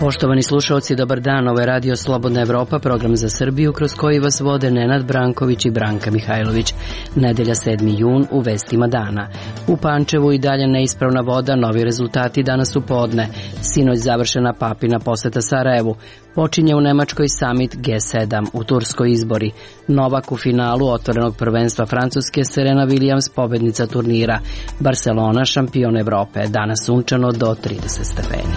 Poštovani slušalci, dobar dan, ovo je Radio Slobodna Evropa, program za Srbiju kroz koji vas vode Nenad Branković i Branka Mihajlović. Nedelja 7. jun u vestima dana. U Pančevu i dalje neispravna voda, novi rezultati danas u podne. Sinoć završena papina poseta Sarajevu. Počinje u Nemačkoj summit G7, u Turskoj izbori. Novak u finalu otvorenog prvenstva Francuske, Serena Williams pobednica turnira. Barcelona šampion Evrope, danas sunčano do 30 stepeni.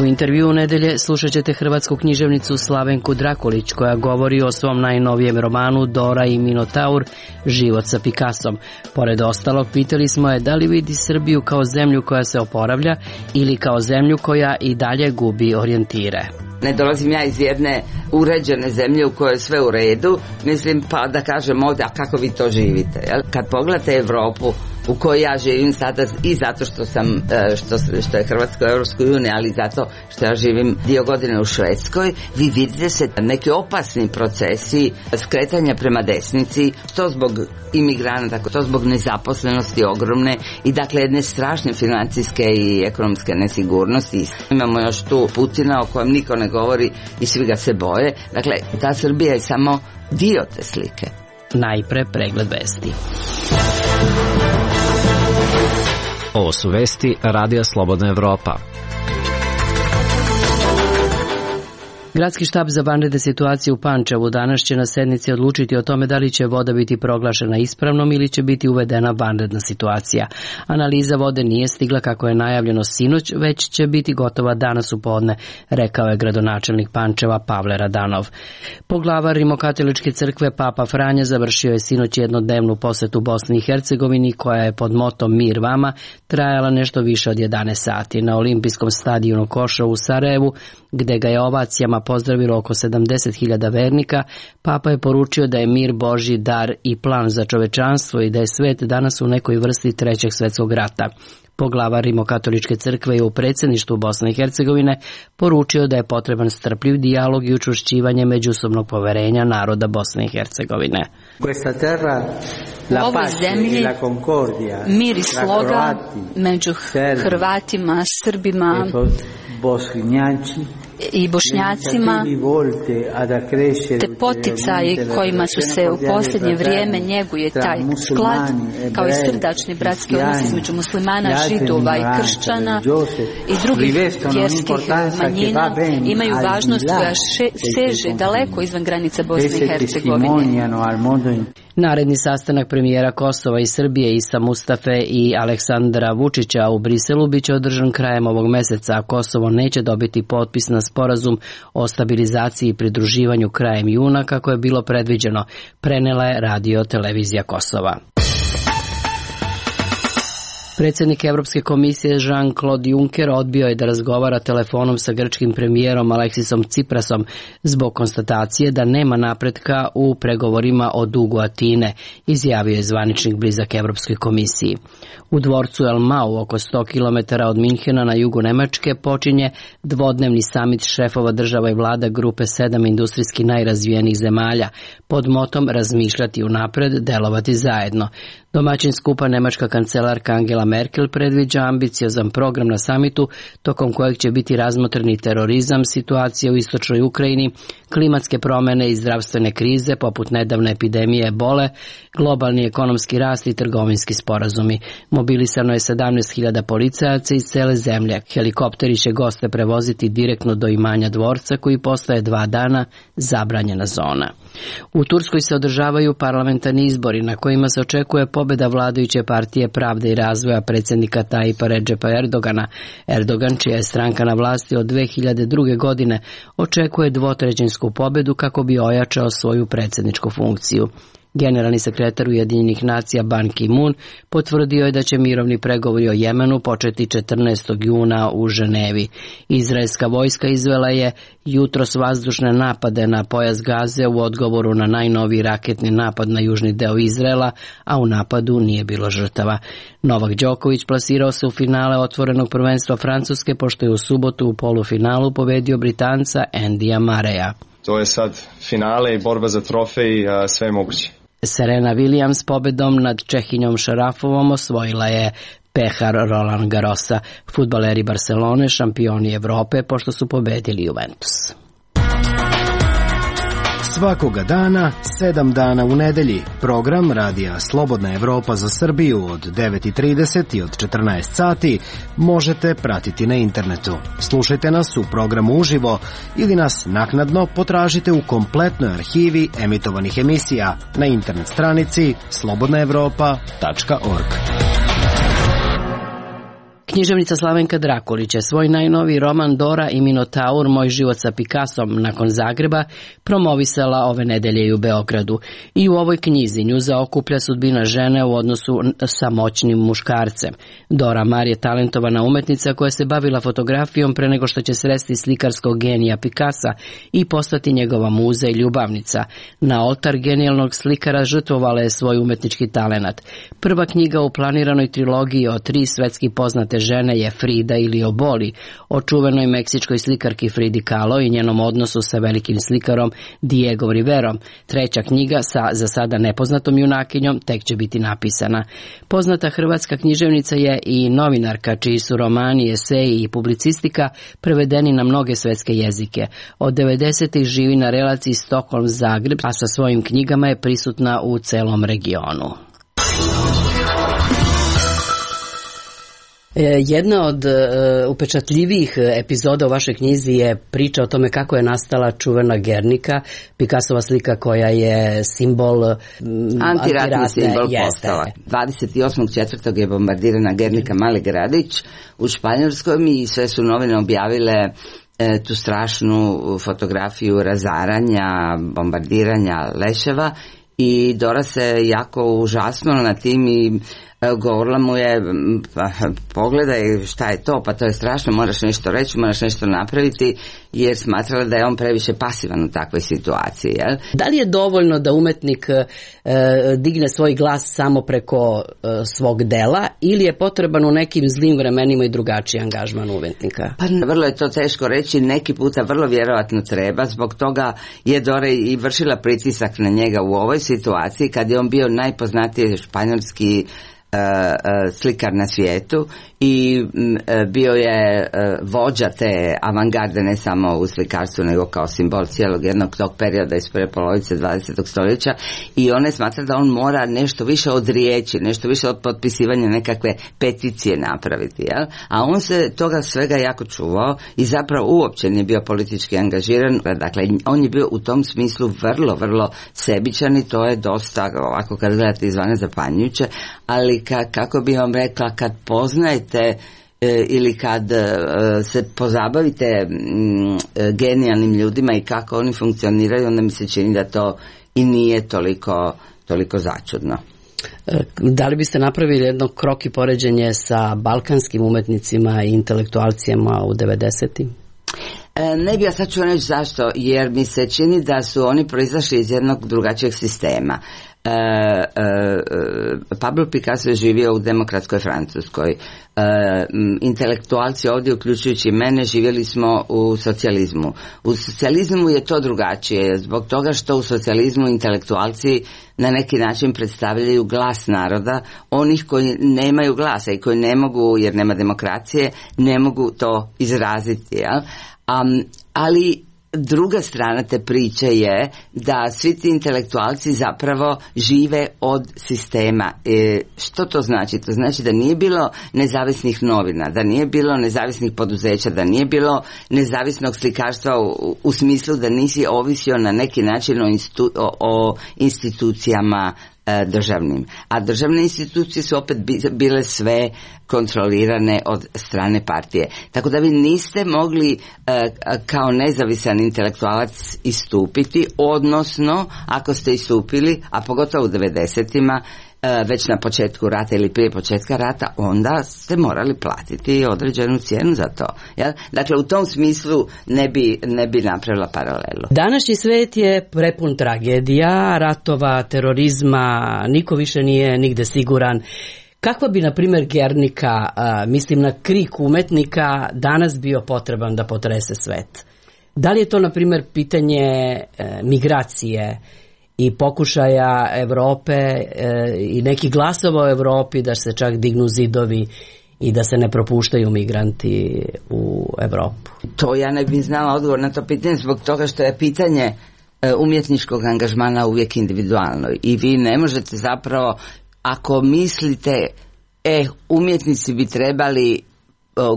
U intervjuu nedelje slušat ćete hrvatsku književnicu Slavenku Drakulić koja govori o svom najnovijem romanu Dora i Minotaur, život sa Picassom. Pored ostalog, pitali smo je da li vidi Srbiju kao zemlju koja se oporavlja ili kao zemlju koja i dalje gubi orijentire. Ne dolazim ja iz jedne uređene zemlje u kojoj je sve u redu, mislim pa da kažem ovdje, a kako vi to živite? Jel? Kad pogledate Evropu u kojoj ja živim sada i zato što sam, što je Hrvatska u Europskoj uniji, ali zato što ja živim dio godine u Švedskoj, vi vidite se neki opasni procesi skretanja prema desnici, to zbog imigranata, to zbog nezaposlenosti ogromne i dakle jedne strašne financijske i ekonomske nesigurnosti. Imamo još tu Putina o kojem niko ne govori i svi ga se boje. Dakle, ta Srbija je samo dio te slike. Najpre pregled vesti. Ovo su vesti Radija Slobodna Evropa. Gradski štab za vanredne situacije u Pančevu danas će na sednici odlučiti o tome da li će voda biti proglašena ispravnom ili će biti uvedena vanredna situacija. Analiza vode nije stigla kako je najavljeno sinoć, već će biti gotova danas u podne, rekao je gradonačelnik Pančeva Pavle Radanov. Poglavar Rimokatoličke crkve Papa Franja završio je sinoć jednodnevnu posetu Bosni i Hercegovini koja je pod motom Mir vama trajala nešto više od 11 sati. Na olimpijskom stadionu Košo u Sarajevu, gde ga je ovacijama pozdravilo oko 70.000 vernika, Papa je poručio da je mir Božji dar i plan za čovečanstvo i da je svet danas u nekoj vrsti trećeg svetskog rata. Poglavar Rimokatoličke crkve je u predsjedništvu Bosne i Hercegovine poručio da je potreban strpljiv dijalog i učvršćivanje međusobnog poverenja naroda Bosne i Hercegovine. U ovoj zemlji mir i sloga među Hrvatima, Srbima i Bošnjacima, te poticaji kojima su se u posljednje vrijeme njeguje taj sklad, kao i srdačni bratski odnos između muslimana, židova i kršćana i drugih vjerskih manjina, imaju važnost koja seže daleko izvan granica Bosne i Hercegovine. Naredni sastanak premijera Kosova i Srbije Isa Mustafe i Aleksandra Vučića u Briselu biće održan krajem ovog meseca, a Kosovo neće dobiti potpis na sporazum o stabilizaciji i pridruživanju krajem juna kako je bilo predviđeno, prenela je Radio Televizija Kosova. Predsjednik Evropske komisije Jean-Claude Juncker odbio je da razgovara telefonom sa grčkim premijerom Aleksisom Tsiprasom zbog konstatacije da nema napretka u pregovorima o dugu Atine, izjavio je zvaničnik blizak Evropskoj komisiji. U dvorcu El Mau, oko 100 km od Minhena na jugu Nemačke, počinje dvodnevni samit šefova država i vlada grupe 7 industrijski najrazvijenijih zemalja pod motom razmišljati unapred, delovati zajedno. Domaćin skupa nemačka kancelarka Angela Merkel predviđa ambiciozan program na samitu tokom kojeg će biti razmotreni terorizam, situacija u istočnoj Ukrajini, klimatske promjene i zdravstvene krize poput nedavne epidemije ebole, globalni ekonomski rast i trgovinski sporazumi. Mobilisano je 17.000 policajaca iz cele zemlje. Helikopteri će goste prevoziti direktno do imanja dvorca koji postaje 2 dana zabranjena zona. U Turskoj se održavaju parlamentarni izbori na kojima se očekuje pobjeda vladajuće partije Pravde i razvoja predsjednika Tajipa Redžepa Erdogana. Erdogan, čija je stranka na vlasti od 2002. godine, očekuje dvotrećinsku pobjedu kako bi ojačao svoju predsjedničku funkciju. Generalni sekretar Ujedinjenih nacija Ban Ki-moon potvrdio je da će mirovni pregovori o Jemenu početi 14. juna u Ženevi. Izraelska vojska izvela je jutros vazdušne napade na pojas Gaze u odgovoru na najnoviji raketni napad na južni deo Izraela, a u napadu nije bilo žrtava. Novak Đoković plasirao se u finale otvorenog prvenstva Francuske pošto je u subotu u polufinalu pobedio Britanca Andyja Murraya. To je sad finale i borba za trofej, sve je moguće. Serena Williams pobedom nad Čehinjom Šarafovom osvojila je pehar Roland Garrosa. Fudbaleri Barcelone šampioni Evrope pošto su pobedili Juventus. Svakoga dana, 7 dana u nedelji. Program Radija Slobodna Evropa za Srbiju od 9:30 i od 14 sati možete pratiti na internetu. Slušajte nas u programu uživo ili nas naknadno potražite u kompletnoj arhivi emitovanih emisija na internet stranici slobodnaevropa.org. Književnica Slavenka Drakulić je svoj najnoviji roman Dora i Minotaur, Moj život sa Picassom nakon Zagreba promovisala ove nedelje i u Beogradu. I u ovoj knjizi nju zaokuplja sudbina žene u odnosu sa moćnim muškarcem. Dora Maar je talentovana umetnica koja se bavila fotografijom pre nego što će sresti slikarskog genija Picassa i postati njegova muza i ljubavnica. Na oltar genijalnog slikara žrtvovala je svoj umetnički talenat. Prva knjiga u planiranoj trilogiji o 3 svetski poznate žene je Frida ili Oboli, o čuvenoj meksičkoj slikarki Fridi Kahlo i njenom odnosu sa velikim slikarom Diego Riverom. Treća knjiga sa za sada nepoznatom junakinjom tek će biti napisana. Poznata hrvatska književnica je i novinarka čiji su romani, eseji i publicistika prevedeni na mnoge svetske jezike. Od 90-ih živi na relaciji Stockholm-Zagreb, a sa svojim knjigama je prisutna u celom regionu. Jedna od upečatljivijih epizoda u vašoj knjizi je priča o tome kako je nastala čuvena Gernika, Picassova slika koja je simbol antiratni simbol postala. 28.4. je bombardirana Gernika, mali gradić u Španjolskoj i sve su novine objavile tu strašnu fotografiju razaranja, bombardiranja leševa i Dora se jako užasnula na tim i govorila mu je, pogledaj šta je to, pa to je strašno, moraš nešto reći, moraš nešto napraviti, jer smatrala da je on previše pasivan u takvoj situaciji. Jel? Da li je dovoljno da umetnik digne svoj glas samo preko svog dela ili je potreban u nekim zlim vremenima i drugačiji angažman umetnika? Pa vrlo je to teško reći, neki puta vrlo vjerovatno treba, zbog toga je Dora i vršila pritisak na njega u ovoj situaciji kad je on bio najpoznatiji španjolski slikar na svijetu i bio je vođa te avangarde ne samo u slikarstvu nego kao simbol cijelog jednog tog perioda iz prve polovice 20. stoljeća i on je smatra da on mora nešto više od riječi, nešto više od potpisivanja nekakve peticije napraviti, jel? A on se toga svega jako čuvao i zapravo uopće nije bio politički angažiran, dakle on je bio u tom smislu vrlo, vrlo sebičan i to je dosta ovako kad gledate izvana zapanjujuće, ali kako bi vam rekla, kad poznajete ili kad se pozabavite genijalnim ljudima i kako oni funkcioniraju, onda mi se čini da to i nije toliko začudno. Da li biste napravili jedno krok i poređenje sa balkanskim umetnicima i intelektualcijama u 90-im? Ne bi, ja sad ću reći zašto, jer mi se čini da su oni proizašli iz jednog drugačijeg sistema. Pablo Picasso je živio u demokratskoj Francuskoj. Intelektualci ovdje, uključujući mene, živjeli smo u socijalizmu. U socijalizmu je to drugačije, zbog toga što u socijalizmu intelektualci na neki način predstavljaju glas naroda, onih koji nemaju glasa i koji ne mogu, jer nema demokracije, ne mogu to izraziti, jel? Ali druga strana te priče je da svi ti intelektualci zapravo žive od sistema. Što to znači? To znači da nije bilo nezavisnih novina, da nije bilo nezavisnih poduzeća, da nije bilo nezavisnog slikarstva u smislu da nisi ovisio na neki način o institucijama državnim. A državne institucije su opet bile sve kontrolirane od strane partije. Tako da vi niste mogli kao nezavisan intelektualac istupiti, odnosno ako ste istupili, a pogotovo u 90-ima, već na početku rata ili prije početka rata, onda ste morali platiti određenu cijenu za to. Jel? Dakle, u tom smislu ne bi napravila paralelu. Današnji svet je prepun tragedija, ratova, terorizma, niko više nije nigde siguran. Kakva bi, na primjer, Gernika, mislim na krik umetnika, danas bio potreban da potrese svet? Da li je to, na primjer, pitanje migracije i pokušaja Evrope i nekih glasova u Evropi da se čak dignu zidovi i da se ne propuštaju migranti u Evropu? To ja ne bih znala odgovor na to pitanje zbog toga što je pitanje umjetničkog angažmana uvijek individualno i vi ne možete zapravo, ako mislite umjetnici bi trebali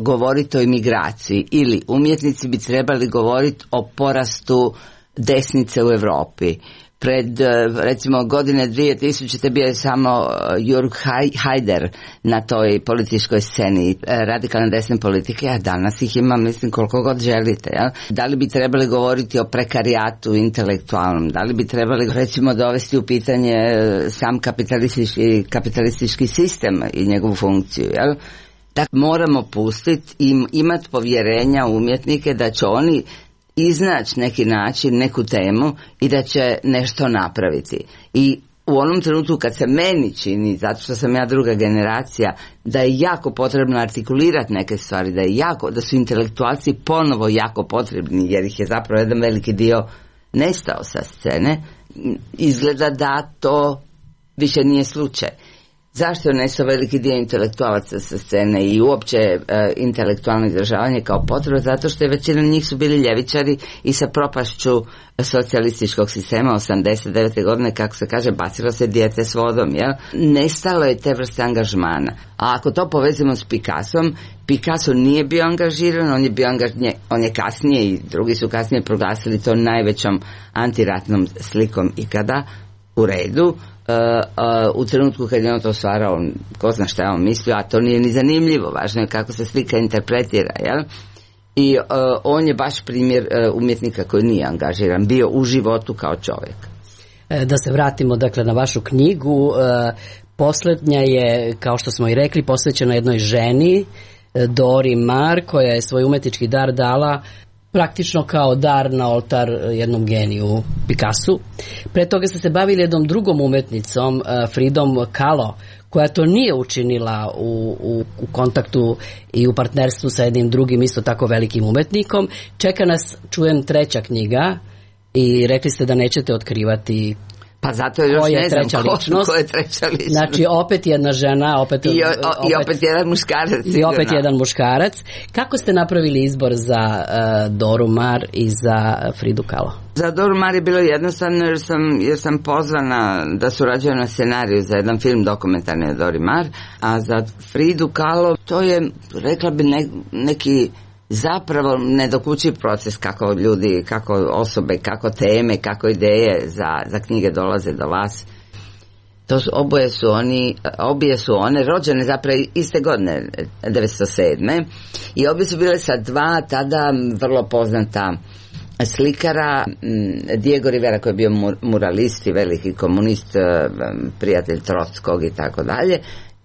govoriti o imigraciji ili umjetnici bi trebali govoriti o porastu desnice u Europi. Pred recimo godine 2000 bio je samo Jörg Haider na toj političkoj sceni radikalne desne politike, a danas ih ima mislim koliko god želite. Ja? Da li bi trebali govoriti o prekarijatu intelektualnom, da li bi trebali recimo dovesti u pitanje sam kapitalistički sistem i njegovu funkciju. Ja? Dakle, moramo pustiti i imati povjerenja u umjetnike da će oni iznaći neki način, neku temu i da će nešto napraviti. I u onom trenutku kad se meni čini, zato što sam ja druga generacija, da je jako potrebno artikulirati neke stvari, da su intelektualci ponovo jako potrebni, jer ih je zapravo jedan veliki dio nestao sa scene, izgleda da to više nije slučaj. Zašto je nestao veliki dio intelektualaca sa scene i uopće intelektualno izražavanje kao potreba? Zato što je većina njih su bili ljevičari i sa propašću socijalističkog sistema 89. godine, kako se kaže, bacilo se dijete s vodom. Jel? Nestalo je te vrste angažmana. A ako to povezimo s Picassom, Picasso nije bio angažiran, on je kasnije i drugi su kasnije proglasili to najvećom antiratnom slikom ikada, u redu. U trenutku kad je on to stvarao, ko zna šta je on mislio, a to nije ni zanimljivo, važno je kako se slika interpretira, jel? I on je baš primjer umjetnika koji nije angažiran, bio u životu kao čovjek. Da se vratimo dakle na vašu knjigu, posljednja je, kao što smo i rekli, posvećena jednoj ženi, Dori Maar, koja je svoj umjetnički dar dala praktično kao dar na oltar jednom geniju, Picassu. Pre toga ste se bavili jednom drugom umjetnicom, Fridom Kahlo, koja to nije učinila u kontaktu i u partnerstvu sa jednim drugim isto tako velikim umjetnikom. Čeka nas, čujem, treća knjiga i rekli ste da nećete otkrivati. Pa zato još ne znam ko je treća ličnost. Znači opet jedna žena, opet jedan muškarac. I opet jedan muškarac. Kako ste napravili izbor za Doru Maar i za Fridu Kahlo? Za Doru Maar je bilo jednostavno jer sam pozvana da surađujem na scenariju za jedan film dokumentarni o Dori Maar, a za Fridu Kahlo to je, rekla bi, neki zapravo nedokučiv proces kako ljudi, kako osobe, kako teme, kako ideje za knjige dolaze do vas. Obje su one rođene zapravo iste godine, 1907. I obje su bile sa dva tada vrlo poznata slikara, Diego Rivera koji je bio muralist i veliki komunist, prijatelj Trotskog i tako dalje,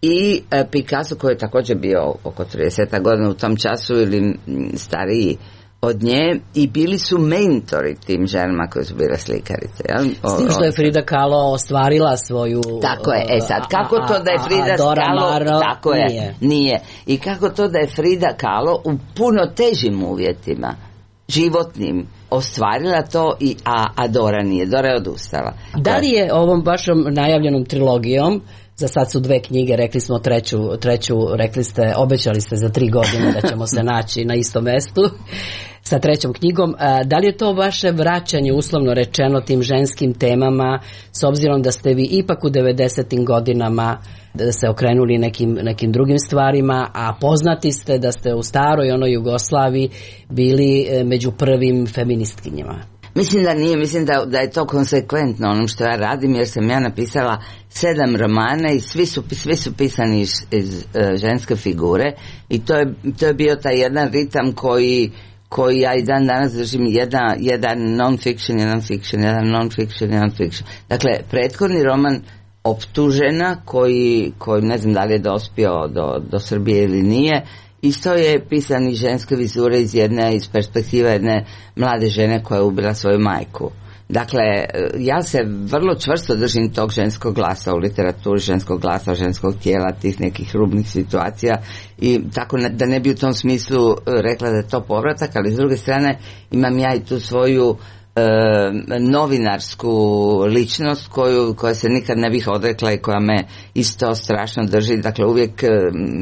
i Picasso koji je također bio oko 30 godina u tom času ili stariji od nje, i bili su mentori tim ženama koje su bile slikarice. S tim što je Frida Kahlo ostvarila svoju... Tako je, sad kako to da je Frida Kahlo... Tako je, nije. I kako to da je Frida Kahlo u puno težim uvjetima, životnim, ostvarila to, a Dora nije. Dora je odustala. Da li je ovom vašom najavljenom trilogijom, za sad su dve knjige, rekli smo treću, rekli ste, obećali ste za 3 godine da ćemo se naći na istom mestu sa trećom knjigom. Da li je to vaše vraćanje, uslovno rečeno, tim ženskim temama, s obzirom da ste vi ipak u 90. godinama se okrenuli nekim drugim stvarima, a poznati ste da ste u staroj onoj Jugoslaviji bili među prvim feministkinjama? Mislim da nije, mislim da je to konsekventno onom što ja radim, jer sam ja napisala 7 romana i svi su pisani iz ženske figure, i to je bio taj jedan ritam koji ja i dan danas držim, jedan non-fiction, jedan fiction, jedan non-fiction, jedan fiction. Dakle, prethodni roman Optužena, koji ne znam da li je dospio do Srbije ili nije, isto je pisan iz ženske vizure iz perspektive jedne mlade žene koja je ubila svoju majku. Dakle, ja se vrlo čvrsto držim tog ženskog glasa u literaturi, ženskog glasa, ženskog tijela, tih nekih rubnih situacija, i tako da ne bi u tom smislu rekla da je to povratak, ali s druge strane imam ja i tu svoju novinarsku ličnost koja se nikad ne bih odrekla i koja me isto strašno drži. Dakle, uvijek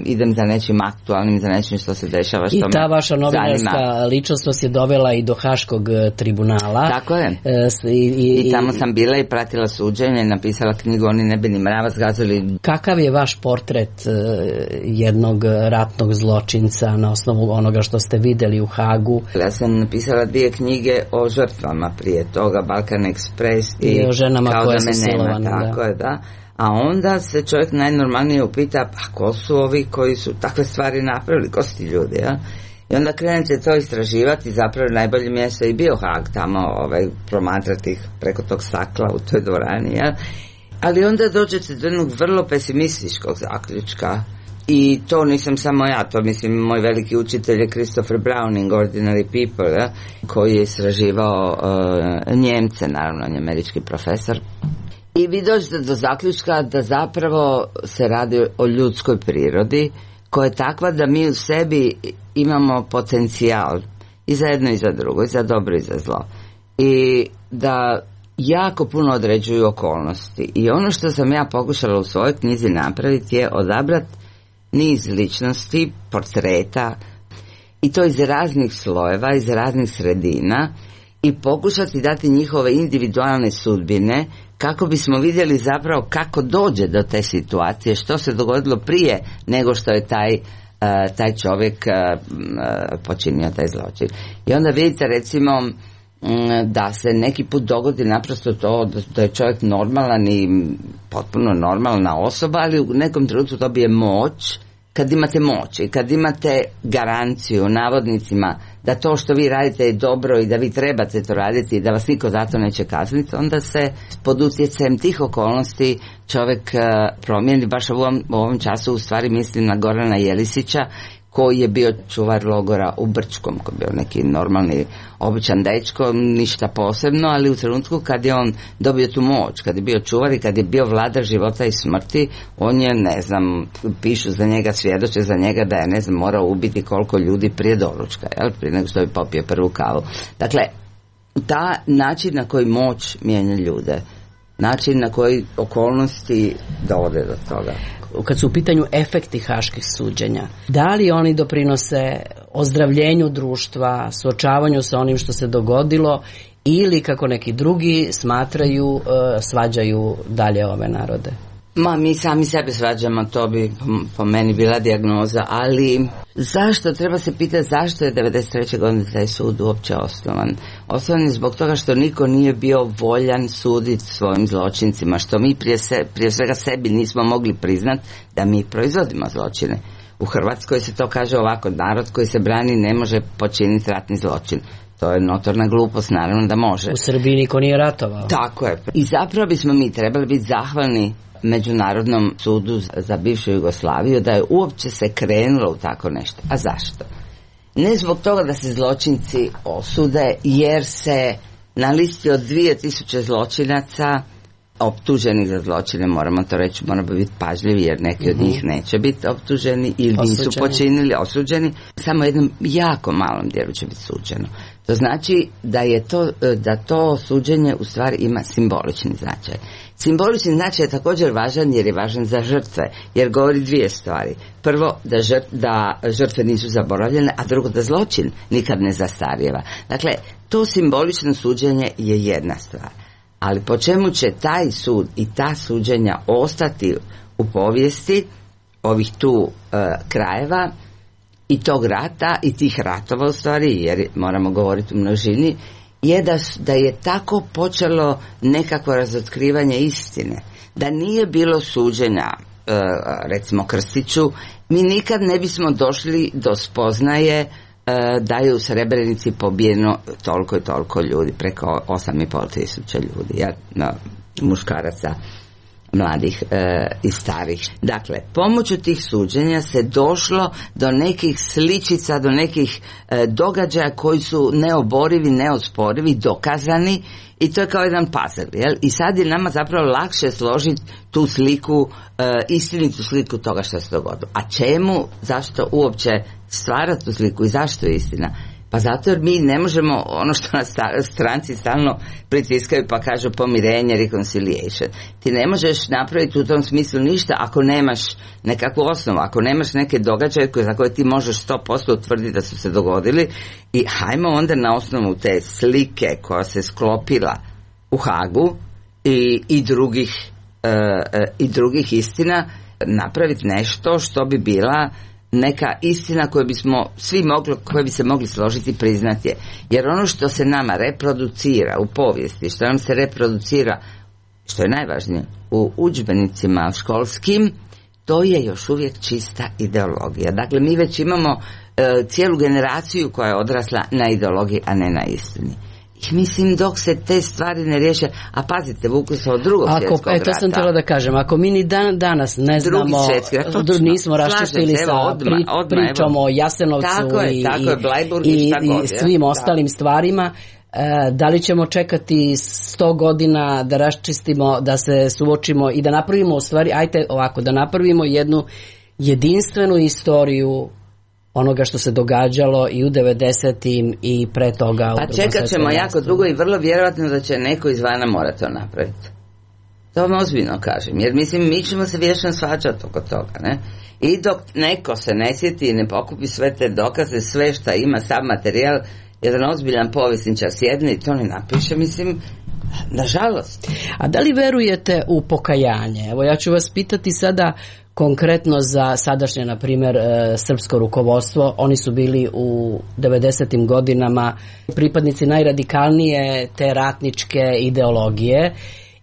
idem za nečim aktualnim, za nečim što se dešava, što me zanima. I ta vaša novinarska ličnost vas je dovela i do Haškog tribunala. Tako je. I tamo sam bila i pratila suđenje i napisala knjigu Oni ne bi ni mrava zgazili. Kakav je vaš portret jednog ratnog zločinca na osnovu onoga što ste vidjeli u Hagu? Ja sam napisala 2 knjige o žrtvama prije toga, Balkan Express i o ženama koje su silovane. Tako je, da. A onda se čovjek najnormalnije upita, pa ko su ovi koji su takve stvari napravili, ko su ti ljudi, ja? I onda krenete to istraživati, zapravo najbolje mjesto i bio Hag tamo, promatrati ih preko tog stakla u toj dvorani, ja? Ali onda dođete do jednog vrlo pesimističkog zaključka. I to nisam samo ja, to mislim moj veliki učitelj je Christopher Browning, Ordinary People, ja, koji je istraživao Njemce, naravno on je američki profesor. I vi dođete do zaključka da zapravo se radi o ljudskoj prirodi koja je takva da mi u sebi imamo potencijal i za jedno i za drugo, i za dobro i za zlo. I da jako puno određuju okolnosti. I ono što sam ja pokušala u svojoj knjizi napraviti je odabrati niz ličnosti, portreta, i to iz raznih slojeva, iz raznih sredina, i pokušati dati njihove individualne sudbine kako bismo vidjeli zapravo kako dođe do te situacije, što se dogodilo prije nego što je taj čovjek počinio taj zločin. I onda vidite recimo da se neki put dogodi naprosto to da je čovjek normalan i potpuno normalna osoba, ali u nekom trenutku dobije moć. Kad imate moć i kad imate garanciju navodnicima da to što vi radite je dobro i da vi trebate to raditi i da vas niko zato neće kazniti, onda se pod utjecajem tih okolnosti čovjek promijeni. Baš u ovom času u stvari mislim na Gorana Jelisića, koji je bio čuvar logora u Brčkom, koji je bio neki normalni, običan dečko, ništa posebno, ali u trenutku kad je on dobio tu moć, kad je bio čuvar i kad je bio vladar života i smrti, on je, ne znam, pišu za njega, svjedoče za njega da je, ne znam, morao ubiti koliko ljudi prije doručka, jel? Prije nego što je popio prvu kavu. Dakle, ta način na koji moć mijenja ljude, način na koji okolnosti dovode do toga. Kad su u pitanju efekti haških suđenja, da li oni doprinose ozdravljenju društva, suočavanju sa onim što se dogodilo, ili kako neki drugi smatraju, svađaju dalje ove narode? Mi sami sebe svađamo, to bi po meni bila dijagnoza, ali zašto, treba se pitati zašto je 93. godine taj sud uopće osnovan. Osnovan je zbog toga što niko nije bio voljan suditi svojim zločincima, što mi prije svega sebi nismo mogli priznati da mi proizvodimo zločine. U Hrvatskoj se to kaže ovako, narod koji se brani ne može počiniti ratni zločin. To je notorna glupost, naravno da može. U Srbiji niko nije ratovao. Tako je. I zapravo bismo mi trebali biti zahvalni Međunarodnom sudu za bivšu Jugoslaviju da je uopće se krenulo u tako nešto. A zašto? Ne zbog toga da se zločinci osude, jer se na listi od 2000 zločinaca optuženih za zločine, moramo to reći, moramo biti pažljivi jer neki od njih neće biti optuženi ili nisu počinili, osuđeni, samo jednom jako malom dijelu će biti suđeno. To znači da to suđenje u stvari ima simbolični značaj. Simbolični značaj je također važan jer je važan za žrtve, jer govori 2 stvari. Prvo, da žrtve nisu zaboravljene, a drugo, da zločin nikad ne zastarijeva. Dakle, to simbolično suđenje je jedna stvar. Ali po čemu će taj sud i ta suđenja ostati u povijesti ovih tu krajeva i tog rata i tih ratova u stvari, jer moramo govoriti u množini, je da je tako počelo nekako razotkrivanje istine. Da nije bilo suđenja, recimo Krstiću, mi nikad ne bismo došli do spoznaje da je u Srebrenici pobijeno toliko i toliko ljudi, preko 8.500 ljudi, muškaraca, mladih i starih. Dakle, pomoću tih suđenja se došlo do nekih sličica, do nekih događaja koji su neoborivi, neosporivi, dokazani, i to je kao jedan puzzle, jel? I sad je nama zapravo lakše složiti tu sliku, istinitu sliku toga što se dogodilo. A čemu, zašto uopće stvarati tu sliku i zašto je istina? Pa zato jer mi ne možemo ono što nas stranci stalno pritiskaju pa kažu pomirenje, reconciliation. Ti ne možeš napraviti u tom smislu ništa ako nemaš nekakvu osnovu, ako nemaš neke događaje za koje ti možeš 100% utvrditi da su se dogodili i hajmo onda na osnovu te slike koja se sklopila u Hagu i drugih istina napraviti nešto što bi bila neka istina koju bi se mogli složiti i priznati je. Jer ono što se nama reproducira u povijesti, što nam se reproducira, što je najvažnije, u udžbenicima školskim, to je još uvijek čista ideologija. Dakle, mi već imamo cijelu generaciju koja je odrasla na ideologiji, a ne na istini. I mislim, dok se te stvari ne riješe, a pazite, vuku se od drugog svjetskog rata. To sam htjela da kažem, ako mi ni danas ne znamo, nismo raščistili sa pričom o Jasenovcu i svim ostalim stvarima, da li ćemo čekati 100 godina da raščistimo, da se suočimo i da napravimo u stvari, da napravimo jednu jedinstvenu istoriju onoga što se događalo i u 90-im i pre toga. Pa čekat ćemo jako dugo i vrlo vjerojatno da će neko izvana mora to napraviti. To vam ozbiljno kažem, jer mislim mi ćemo se vječno svađati oko toga, ne? I dok neko se ne sjeti i ne pokupi sve te dokaze, sve šta ima, sav materijal, jedan ozbiljan povjesničar sjedne i to ne napiše, mislim, nažalost. A da li verujete u pokajanje? Evo ja ću vas pitati sada konkretno za sadašnje, na primjer, srpsko rukovodstvo. Oni su bili u 90. godinama pripadnici najradikalnije te ratničke ideologije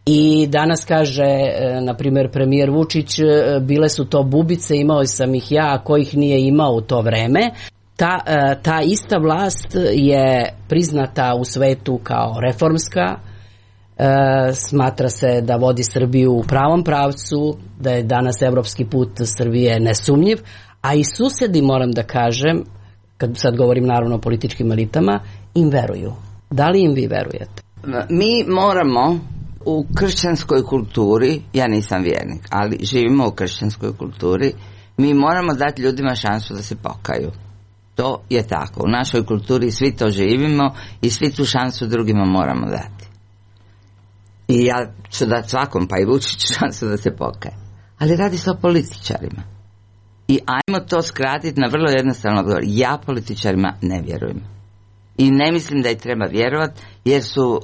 i danas kaže, na primjer, premijer Vučić, bile su to bubice, imao sam ih ja, a ko ih nije imao u to vreme. Ta ista vlast je priznata u svetu kao reformska, smatra se da vodi Srbiju u pravom pravcu, da je danas evropski put Srbije nesumnjiv, a i susedi, moram da kažem, kad sad govorim naravno o političkim elitama, im veruju. Da li im vi verujete? Mi moramo u kršćanskoj kulturi, ja nisam vjernik, ali živimo u kršćanskoj kulturi, mi moramo dati ljudima šansu da se pokaju. To je tako. U našoj kulturi svi to živimo i svi tu šansu drugima moramo dati. I ja ću dati svakom, pa i Vučiću, šansu da se pokaje. Ali radi se o političarima. I ajmo to skratiti na vrlo jednostavno odgovor. Ja političarima ne vjerujem. I ne mislim da ih treba vjerovati, jer su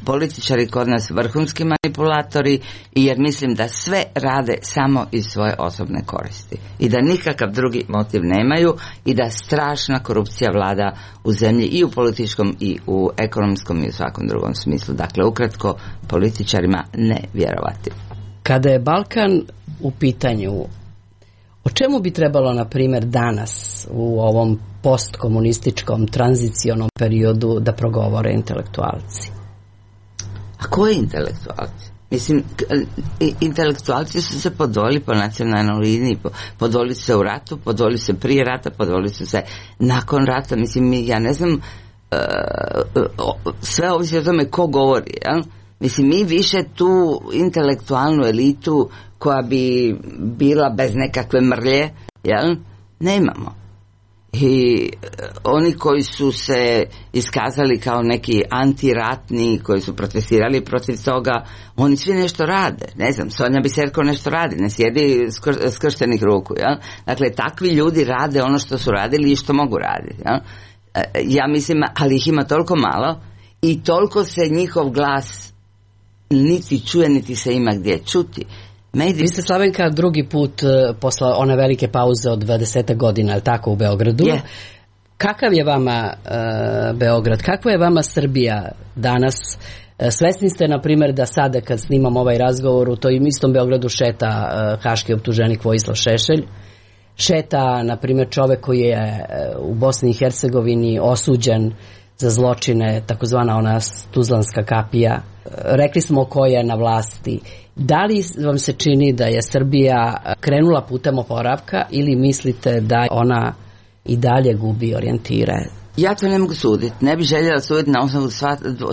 političari kod nas vrhunski manipulatori i jer mislim da sve rade samo iz svoje osobne koristi. I da nikakav drugi motiv nemaju i da strašna korupcija vlada u zemlji i u političkom i u ekonomskom i u svakom drugom smislu. Dakle, ukratko, političarima ne vjerovati. Kada je Balkan u pitanju, o čemu bi trebalo, na primjer, danas u ovom postkomunističkom tranzicionom periodu da progovore intelektualci? A koji intelektualci? Mislim, intelektualci su se podvojili po nacionalnoj liniji, podvojili su se u ratu, podvojili su se prije rata, podvojili su se nakon rata. Mislim, ja ne znam, sve ovisi o tome ko govori, jel? Mislim, mi više tu intelektualnu elitu koja bi bila bez nekakve mrlje, jel? Nemamo. I oni koji su se iskazali kao neki antiratni, koji su protestirali protiv toga, oni svi nešto rade. Ne znam, Sonja Biserko nešto radi, ne sjedi skrštenih ruku. Jel? Dakle, takvi ljudi rade ono što su radili i što mogu raditi. Jel? Ja mislim, ali ih ima toliko malo i toliko se njihov glas niti čuje, niti se ima gdje čuti. Vi ste, Slavenka, drugi put posle one velike pauze od 20 godina, je li tako, u Beogradu? Yeah. Kakav je vama Beograd? Kakva je vama Srbija danas? Svesni ste, na primjer, da sada kad snimam ovaj razgovor u tom istom Beogradu šeta haški optuženik Vojislav Šešelj, šeta, na primjer, čovek koji je u Bosni i Hercegovini osuđen za zločine, takozvana ona Tuzlanska kapija. Rekli smo ko je na vlasti. Da li vam se čini da je Srbija krenula putem oporavka ili mislite da ona i dalje gubi orijentire Ja to ne mogu suditi. Ne bih željela suditi na osnovu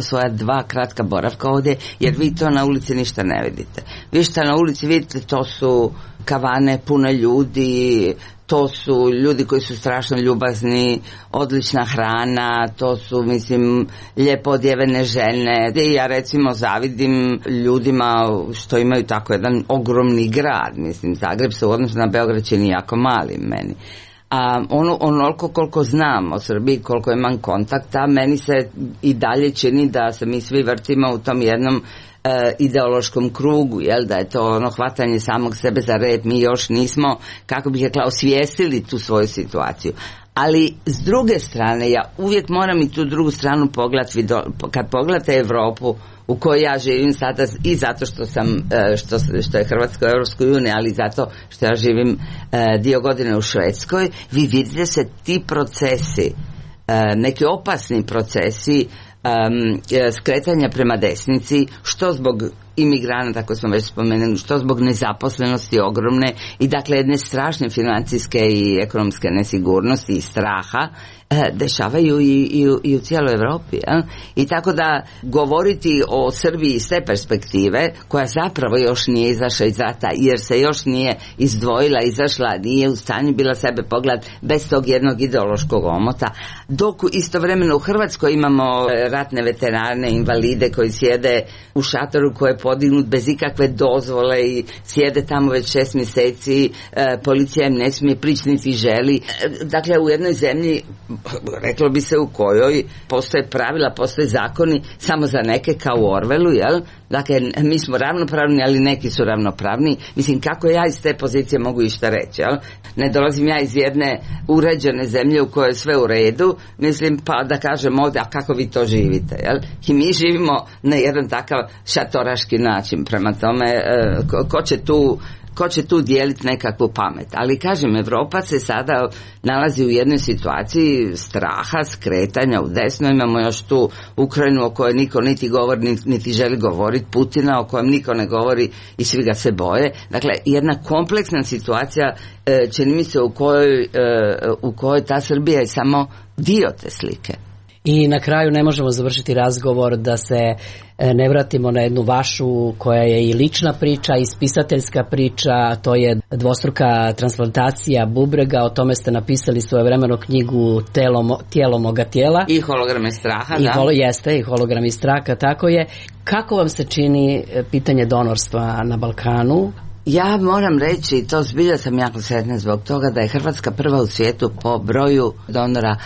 svoja 2 kratka boravka ovdje, jer vi to na ulici ništa ne vidite. Vi što na ulici vidite, to su kavane pune ljudi, to su ljudi koji su strašno ljubazni, odlična hrana, to su, mislim, lijepo odjevene žene. Ja recimo zavidim ljudima što imaju tako jedan ogromni grad. Mislim, Zagreb se u odnosu na Beograd čini jako mali meni. A onoliko koliko znam o Srbiji, koliko imam kontakta, meni se i dalje čini da se mi svi vrtimo u tom jednom ideološkom krugu, jel, da je to ono hvatanje samog sebe za rep. Mi još nismo, kako bih rekla, osvijestili tu svoju situaciju. Ali s druge strane, ja uvijek moram i tu drugu stranu pogledati. Kad pogledate Europu u kojoj ja živim sada, i zato što sam što je Hrvatska u Europskoj uniji, ali zato što ja živim dio godine u Švedskoj, vi vidite se ti procesi, neki opasni procesi skretanja prema desnici, što zbog imigranata, kako smo već spomenuli, što zbog nezaposlenosti ogromne i dakle jedne strašne financijske i ekonomske nesigurnosti i straha, dešavaju i u cijeloj Europi. I tako da govoriti o Srbiji iz te perspektive, koja zapravo još nije izašla iz rata, jer se još nije izašla, nije u stanju bila sebe pogledati bez tog jednog ideološkog omota, dok istovremeno u Hrvatskoj imamo ratne veterane, invalide koji sjede u šatoru koji je podignut bez ikakve dozvole i sjede tamo već 6 mjeseci, policija im ne smije prići niti želi. Dakle, u jednoj zemlji, reklo bi se, u kojoj postoje pravila, postoje zakoni samo za neke, kao u Orwellu, jel? Dakle, mi smo ravnopravni, ali neki su ravnopravni. Mislim, kako ja iz te pozicije mogu išta reći, jel? Ne dolazim ja iz jedne uređene zemlje u kojoj je sve u redu, mislim, pa da kažem ovdje, a kako vi to živite, jel? I mi živimo na jedan takav šatoraški način, prema tome, ko će tu dijeliti nekakvu pamet. Ali kažem, Europa se sada nalazi u jednoj situaciji straha, skretanja u desno. Imamo još tu Ukrajinu o kojoj niko niti govori, niti želi govoriti, Putina o kojem niko ne govori i svi ga se boje. Dakle, jedna kompleksna situacija, čini mi se, u kojoj ta Srbija je samo dio te slike. I na kraju ne možemo završiti razgovor da se ne vratimo na jednu vašu, koja je i lična priča i spisateljska priča, to je dvostruka transplantacija bubrega. O tome ste napisali svojevremeno knjigu Tijelo moga tijela. I holograme straha, Jeste, i hologrami straha, tako je. Kako vam se čini pitanje donorstva na Balkanu? Ja moram reći, to zbilja sam jako sretna zbog toga da je Hrvatska prva u svijetu po broju donora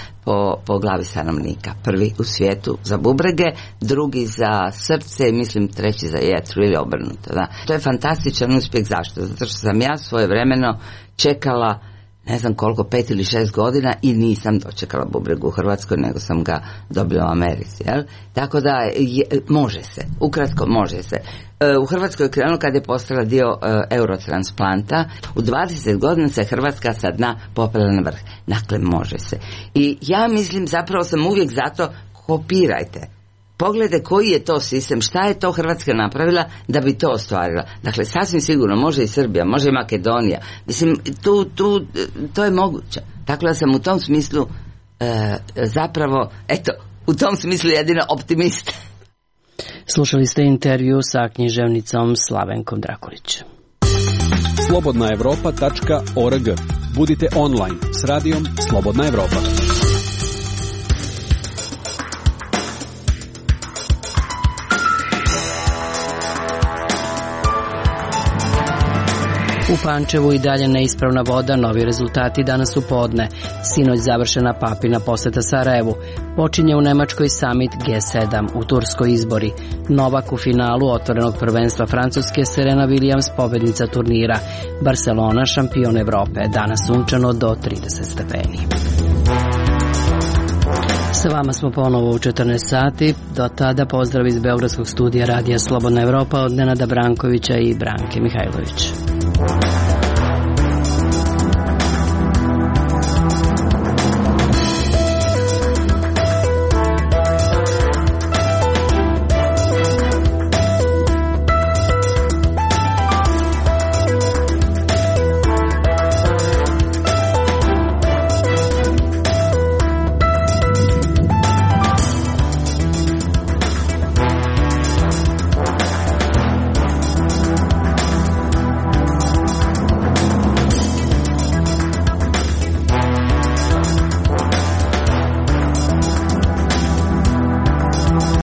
po glavi stanovnika. Prvi u svijetu za bubrege, drugi za srce i mislim treći za jetru ili obrnuto. Da. To je fantastičan uspjeh. Zašto? Zato što sam ja svojevremeno čekala ne znam koliko, 5 ili 6 godina i nisam dočekala bubreg u Hrvatskoj, nego sam ga dobila u Americi. Jel? Tako da može se, ukratko može se. U Hrvatskoj je krenulo kad je postala dio eurotransplanta. U 20 godina se Hrvatska sa dna popela na vrh. Dakle, može se. I ja mislim, zapravo sam uvijek zato, kopirajte. Pogledajte koji je to sistem, šta je to Hrvatska napravila da bi to ostvarila. Dakle, sasvim sigurno može i Srbija, može i Makedonija. Mislim, to je moguće. Tako da sam u tom smislu zapravo, u tom smislu jedino optimist. Slušali ste intervju sa književnicom Slavenkom Drakulić. slobodnaevropa.org. Budite online s radijom Slobodna Evropa. U Pančevu i dalje neispravna voda, novi rezultati danas u podne. Sinoć završena Papina poseta Sarajevu. Počinje u Nemačkoj summit G7, u Turskoj izbori. Novak u finalu otvorenog prvenstva Francuske, Serena Williams pobednica turnira. Barcelona šampion Evrope, danas sunčano do 30 stepeni. Sa vama smo ponovo u 14 sati. Do tada pozdrav iz Beogradskog studija Radija Slobodna Evropa od Nenada Brankovića i Branke Mihajlović.